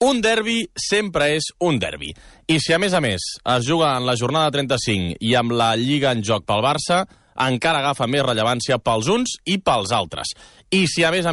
Un derbi sempre és un derbi. I si a més es juga en la jornada 35 i amb la Lliga en joc pel Barça, encara agafa més rellevància pels uns i pels altres. I si a més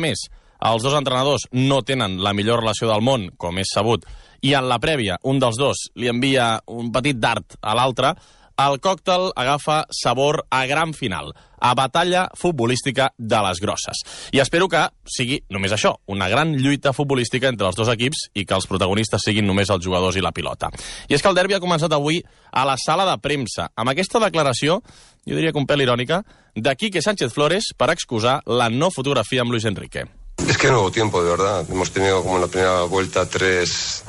els dos entrenadors no tenen la millor relació del món, com és sabut, i en la prèvia un dels dos li envia un petit dart a l'altre, el còctel agafa sabor a gran final, a batalla futbolística de les grosses. I espero que sigui només això, una gran lluita futbolística entre els dos equips i que els protagonistes siguin només els jugadors i la pilota. I és que el derbi ha començat avui a la sala de premsa, amb aquesta declaració, jo diria que un pèl irònica, de Quique Sánchez Flores per excusar la no fotografia amb Luis Enrique. Es que no hubo tiempo, de verdad. Hemos tenido como en la primera vuelta tres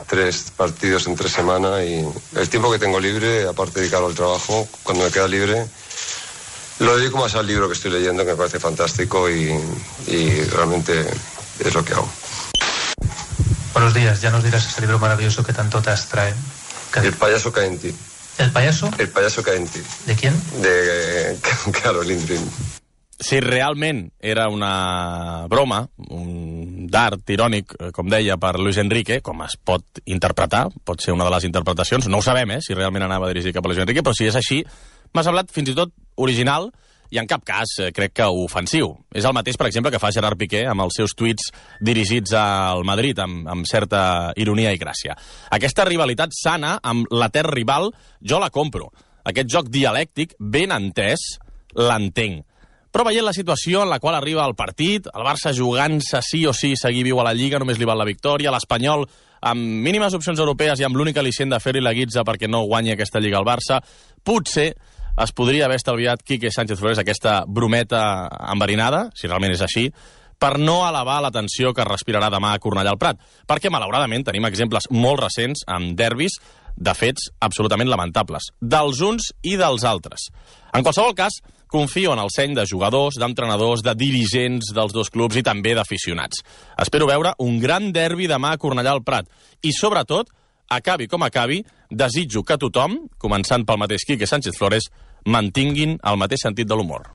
partidos en 3 semanas y el tiempo que tengo libre, aparte de dedicarlo al trabajo, cuando me queda libre, lo dedico más al libro que estoy leyendo, que me parece fantástico y realmente es lo que hago. Buenos días, ya nos dirás ese libro maravilloso que tanto te abstrae. El payaso cae en ti. ¿El payaso? El payaso cae en ti. ¿De quién? De Carol Lindgren. Si realment era una broma, un dart irònic, com deia, per Luis Enrique, com es pot interpretar, pot ser una de les interpretacions, no ho sabem, si realment anava dirigit cap a Luis Enrique, però si és així, m'ha semblat fins i tot original i en cap cas crec que ofensiu. És el mateix, per exemple, que fa Gerard Piqué amb els seus tuits dirigits al Madrid, amb certa ironia i gràcia. Aquesta rivalitat sana amb l'etern rival, jo la compro. Aquest joc dialèctic, ben entès, l'entenc. Però veient la situació en la qual arriba el partit, el Barça jugant-se sí o sí seguir viu a la Lliga, només li val la victòria, l'Espanyol amb mínimes opcions europees i amb l'únic al·licient de fer-li la guitza perquè no guanyi aquesta Lliga al Barça, potser es podria haver estalviat Quique Sánchez Flores aquesta brometa enverinada, si realment és així, per no elevar la tensió que respirarà demà a Cornellà al Prat. Perquè, malauradament, tenim exemples molt recents amb derbis de fets absolutament lamentables, dels uns i dels altres. En qualsevol cas, confio en el seny de jugadors, d'entrenadors, de dirigents dels dos clubs i també d'aficionats. Espero veure un gran derbi demà a Cornellà al Prat. I, sobretot, acabi com acabi, desitjo que tothom, començant pel mateix Quique Sánchez Flores, mantinguin el mateix sentit de l'humor.